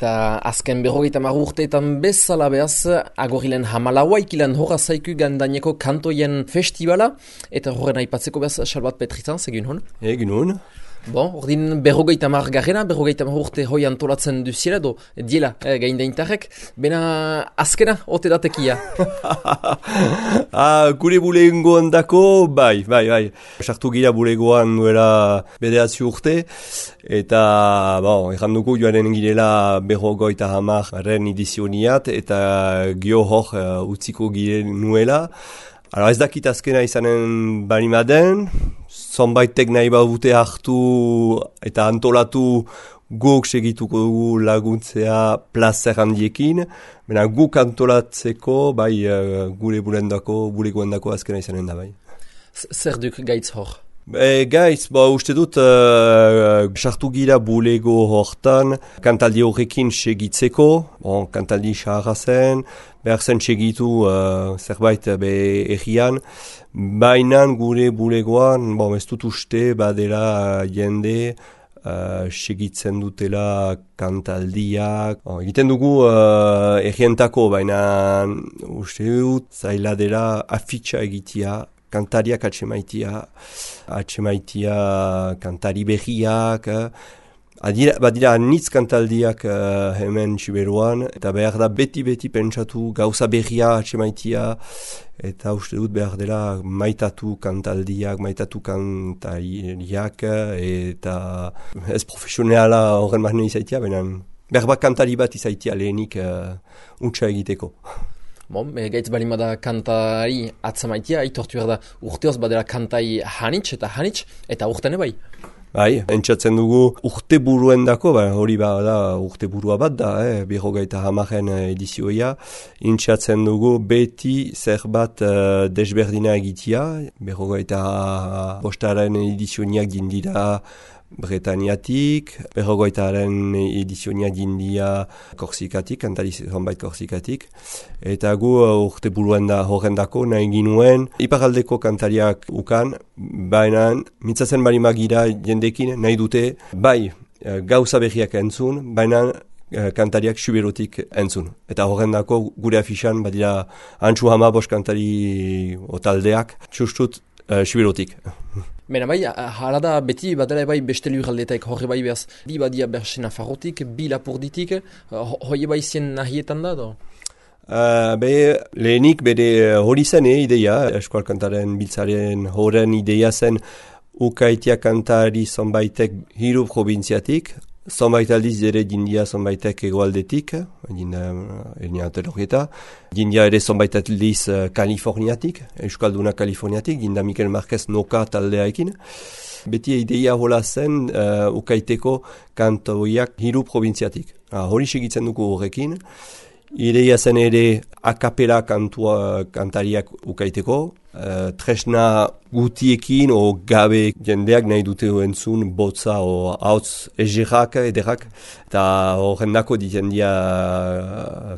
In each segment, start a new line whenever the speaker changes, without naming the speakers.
Eta azken 50 urteetan bezala behaz, agorilen hamalaua ikilan horra zaiku gandaineko kantoien festivala, eta horren aipatzeko behaz, Salvat Petritzan, egin hon?
Egin hon.
Bon, ordin 50 garrena, 50 urte hoi antolatzen duziela, do, diela, gaindaintarrek, bena azkena, ote datekia.
Gure bulegoan dako, bai. Sartu gira bulegoan duela bederatzi urte, eta, erranduko joaren girela 50 edizioniat, eta gio hor utziko gire nuela. Ez dakit azkena izanen banimaden, zonbaitek nahi badute hartu eta antolatu guk segituko dugu laguntzea plazer handiekin, baina guk antolatzeko gure bulegoendako azkena izanen da bai.
Zer duk gaitz hor?
Gaitz, uste dut sartu gira bulego hortan kantaldi horrekin segitzeko, kantaldi saharra zen, behar zen segitu zerbait errian, baina gure bulegoan, ez dut uste badela jende segitzen dutela kantaldiak. Egiten dugu errientako, baina uste dut zaila dela afitxa egitea, kantariak atxemaitia kantari berriak, badira anitz kantaldiak hemen Siberuan, eta behar da beti pentsatu gauza berria atxemaitia, eta uste dut behar dela maitatu kantaldiak, maitatu kantariak, eta ez profesionala horren mahne izaitia, benen behar bat kantari bat izaitia lehenik untsa egiteko.
Gaitz balimada kantari atzamaitia, aitortu behar da urteoz badela kantai hanitz, eta urtene bai.
Bai, entzatzen dugu urte buruendako, hori da urte burua bat da, 50 edizioia, entzatzen dugu beti zerbat desberdina egitea, 55 edizioniak dindira Bretaniatik, 50 edizioniak dindia Korsikatik, kantari zonbait Korsikatik, eta gu urte buruan da horrendako nahi ginuen iparaldeko kantariak ukan, baina mitzatzen bali magira jendekin nahi dute, gauza berriak entzun, baina kantariak Siberutik entzun. Eta horrendako gure afixan badira antxu hamabos kantari otaldeak, txustut Siberutik.
Bena hala da beti badela beste lurraldeetaik horre behaz, bi badia berse Nafarrotik, bi Lapurditik, hoi zien nahietan da do?
Lehenik bere hori zen ideia, eskual kantaren biltzaren horren ideia zen ukaitia kantari zonbaitek hiru provintziatik, zonbait aldiz ere dindia zonbaitek egoaldetik, dindia ere zonbait aldiz Kaliforniatik, Euskalduna Kaliforniatik, dinda Mikel Marquez Noka taldeaekin. Beti ideia hola zen ukaiteko kantoiak hiru provintziatik. Hori segitzen dugu horrekin. Ideia zen ere akapela kantariak ukaiteko, tresna gutiekin o gabe jendeak nahi dute entzun botza o hautz egerak ederrak, eta horrendako diten dia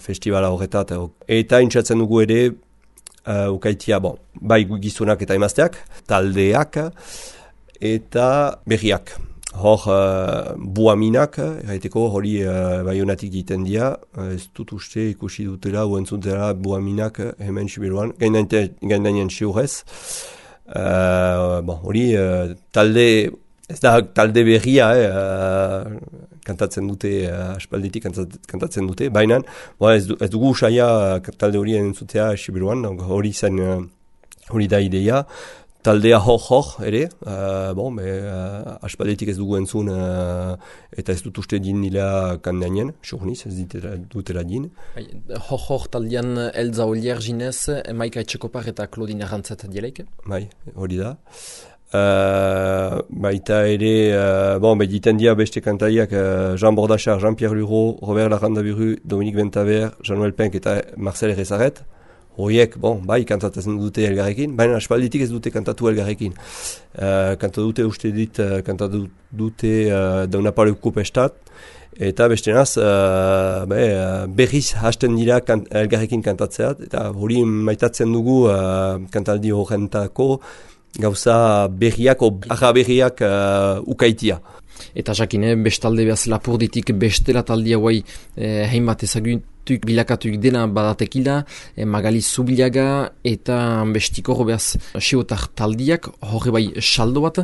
festivala horretat. Eta intzatzen dugu ere ukaitia, bai gizonak eta emazteak, taldeak eta berriak. Hor buaminak, erraiteko hori baionatik diten dia, ez dut uste ikusi dutela, uentzutela buaminak hemen Siberuan, gaindainen siurez. Hori talde, ez da talde berria, kantatzen dute, aspalditik kantatzen dute, baina ez dugu usaia talde hori entzutea Siberuan, hori da ideia. Taldea hor ere, aspaldetik ez dugu entzun eta ez dut uste din nila kandainen, surniz, ez dutela din.
Hor taldean Elza Olier Ginez, Maika Etxekopar eta Claudine Arrantzat dielaik?
Bai, hori da. Baita ere, diten dia beste kantariak Jean Bordachar, Jean-Pierre Luro, Robert Larrandaburu, Dominique Bentaber, Jean-Noël Penck eta Marcel Rezaret. Horiek, kantatzen dute elgarrekin, baina aspalditik ez dute kantatu elgarrekin. Kantatu dute Daunapaleuko pestat, eta bestenaz berriz hasten dira elgarrekin kantatzeat, eta hori maitatzen dugu kantaldi horrentako gauza berriak, arra berriak ukaitia.
Eta jakine, bestalde behaz Lapurditik bestela taldia guai hainbat ezagutuk bilakatuik dena badatekila, Magali Zubilaga eta bestiko behaz sibotar taldiak, horre bai saldo bat,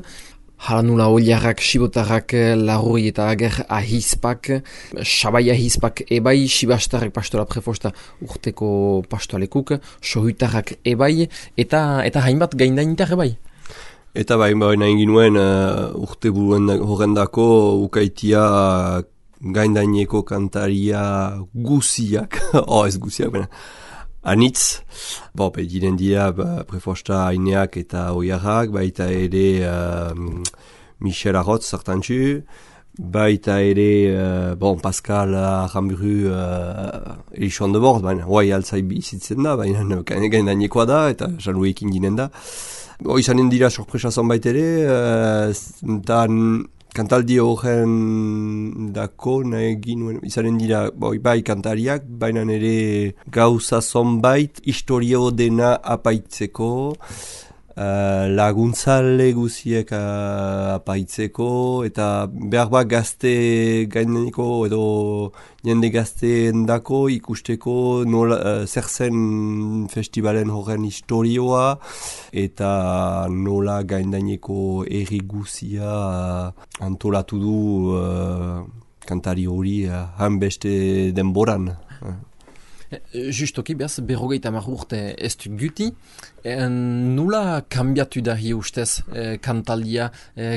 haranula oliarrak, sibotarrak, larroi eta ager ahizpak, sabai ahizpak ebai, sibastarrak pastola prefosta urteko pastoalekuk, sohutarrak ebai, eta hainbat gaindainitar ebai.
Eta nahi ginuen urte buruen horrendako ukaitia gaindaineko kantaria guziak, ez guziak, anitz, diren dira prefosta aineak eta oiarrak, baita ere Michel Arrotz zartantzu, baita ere Pascal Aramburu Elixon de Bord, hoai altzai bizitzen da, baina gaindainekoa da, eta jaluekin ginen da. Izanen dira sorpresa zonbait ere, eta kantaldi horren dako nahi ginuen, izanen dira bai kantariak, baina ere gauza zonbait, historio dena apaitzeko, laguntzale guziek apaitzeko, eta behar bat gazte gaineneko edo jende gazteen dako ikusteko nola, zer zen festivalen horren historioa, eta nola gaindaineko erri guzia antolatu du kantari hori hanbeste denboran.
Justoki, behaz, 50 urte ez du guti, nula kambiatu da hi ustez kantaldia,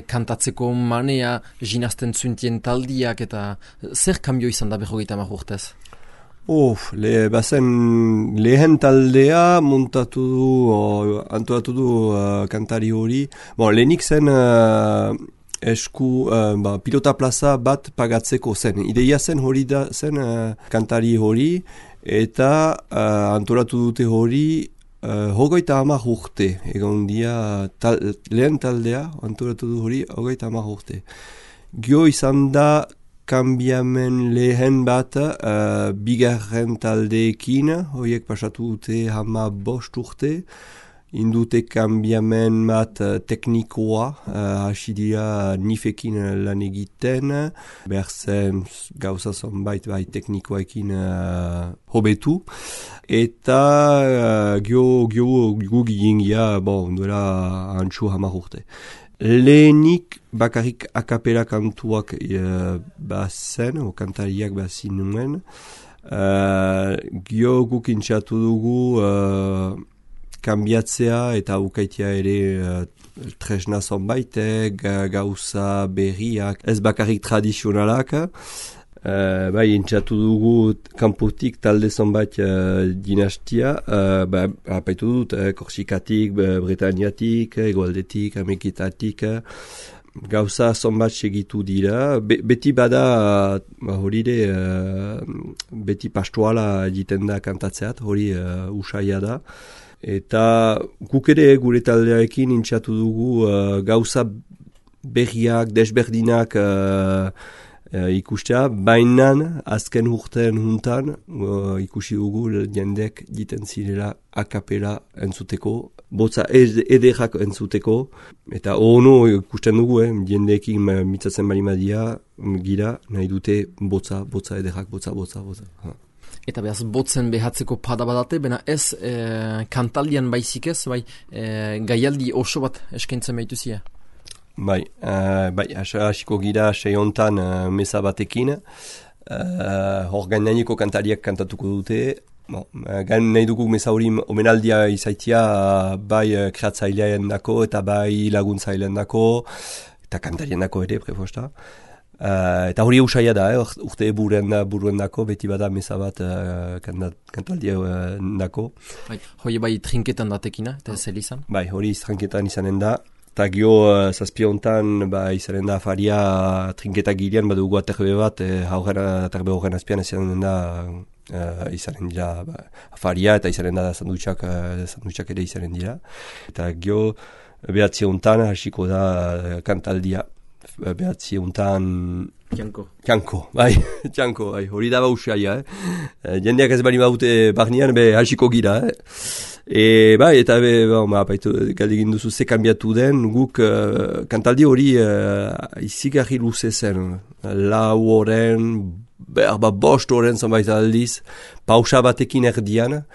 kantatzeko manea, jinazten zuntien taldiak, eta zer kambio izan da 50 urtez?
Lehen taldea montatu du, antolatu du kantari hori. Lehenik zen pilota plaza bat pagatzeko zen. Ideia zen hori da zen kantari hori, eta antolatu dute hori 30 urte. Egon dia lehen taldea antolatu du hori 30 urte. Gio izan da kambiamen lehen bat bigarren taldeekin, horiek pasatu dute 15 urte. Indute kambiamen bat teknikoa, hasi dira nifekin lan egiten, behar zen gauza zonbait bai teknikoekin hobetu, eta gu gingia, duela antxu 10 urte. Lehenik bakarrik akapela kantuak bazen, o kantariak bazin nuen, guk intxatu dugu kambiatzea eta ukaitia ere tresna zonbait, gauza berriak, ez bakarrik tradizionalak, intxatu dugu kanpotik talde zonbait dinastia, apaitu dut, Korsikatik, Bretaniatik, Egoaldetik, Ameriketatik, gauza zonbat segitu dira, beti bada hori beti pastoala egiten da kantatzeat, hori usaia da. Eta guk ere gure taldearekin intxatu dugu gauza berriak, desberdinak ikustea, baina azken urtean juntan ikusi dugu jendek jiten zirela akapela entzuteko, botza ederrak entzuteko, eta ono ikusten dugu, jendeekin mitzatzen balimadia gira, nahi dute botza ederrak, botza.
Eta behaz, botzen behatzeko pada badate, bena ez kantaldian baizik ez, gaialdi oso bat eskaintzen behituzia?
Hasiko gira seiontan meza batekin, hor gaindaineko kantariak kantatuko dute, nahi dugu meza hori omenaldia izaitia bai kreatzailean dako eta bai laguntzailean dako, eta kantarien dako ere, prefosta. Eta hori eusaia da, urte buruen dako, beti bada meza bat kantaldia dako.
Hoi bai trinketan datekina, eta ez elizan?
Hori trinketan izanen da, eta gio zazpiontan izanen da afaria trinketak gilean, badugu aterbe bat, aterbe horren azpian izanen da izanen dira afaria, eta izanen da sandutxak ere izanen dira. Eta gio behatziontan hasiko da kantaldia. Behatzi untan... Txanko, hori da bausaia, jendeak ez bali baute barnean, hasiko gira, Bai, eta galdegin duzu ze kanbiatu den, guk kantaldi hori izigarri luze zen. 4 oren, bost oren zonbait aldiz, pausa batekin erdian,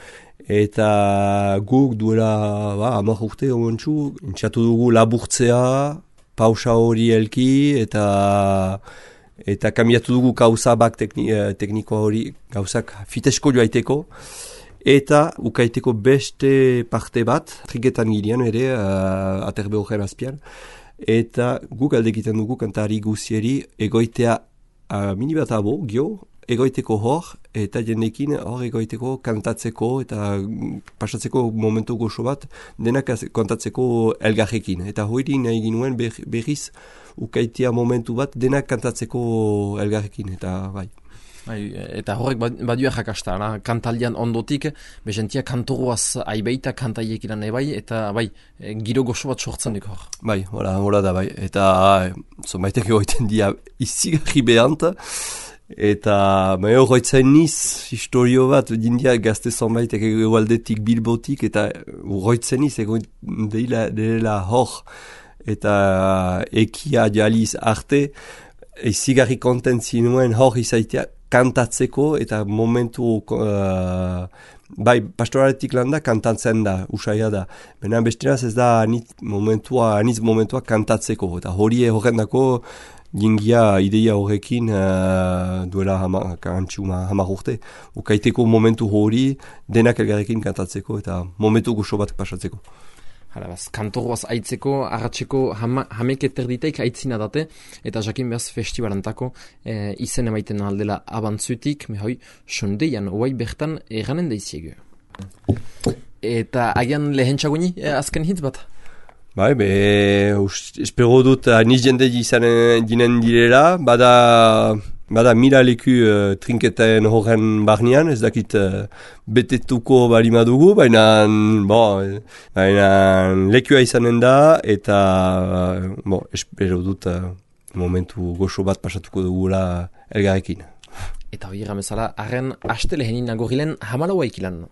eta guk duela 10 urte omentsu, intxatu dugu laburtzea, pausa hori elki, eta kambiatu dugu gauza bak tekniko hori, gauzak fitesko joaiteko, eta ukaiteko beste parte bat, triketan ginean ere, aterbe horren azpian, eta guk aldekiten dugu kantari guzieri egoitea mini bat abo, egoiteko hor, eta jendekin hor egoiteko kantatzeko eta pasatzeko momentu goxo bat, denak kontatzeko elgarrekin. Eta hori nahi ginuen berriz ukaitea momentu bat denak kantatzeko elgarrekin, eta bai.
Eta horrek badua jakasta, kantaldian ondotik, bezentia kantoruaz aibeita kantaiek iran ebai, eta bai, giro goxo bat sortzen duk hor.
Bai, hola da bai, eta zonbaitek egoiten dia izigarri behant, eta horretzen niz historio bat, dindia gazte zonbaitek egualdetik Bilbotik, eta horretzen niz egoiten dela hor, eta ekia jaliz arte, izigarri kontentzien nuen hor izaitea kantatzeko, eta momentu bai, pastoraletik landa kantatzen da, usaia da. Baina besteraz ez da aniz momentua kantatzeko, eta hori horren dako jingia ideia horrekin duela 10 urte. Ukaiteko momentu hori denak elgarrekin kantatzeko, eta momentu goxo bat pasatzeko.
Kantoruaz aitzeko, arratseko hamek eterditeik aitzina date, eta jakin behaz festivalantako izen emaiten aldela abantzutik, mehoi, sondeian, oai bertan eranen daiziegu. Eta agian lehentxaguni azken hitz bat?
Bai, espero dut aniz jende izanen ginen direla, bada mila leku trinketen horren barnean, ez dakit betetuko balima dugu, baina lekua izanen da, eta espero dut momentu goxo bat pasatuko dugula elgarrekin.
Eta hori ramezala, arren haste lehenin nagorrilen 14 ikilan.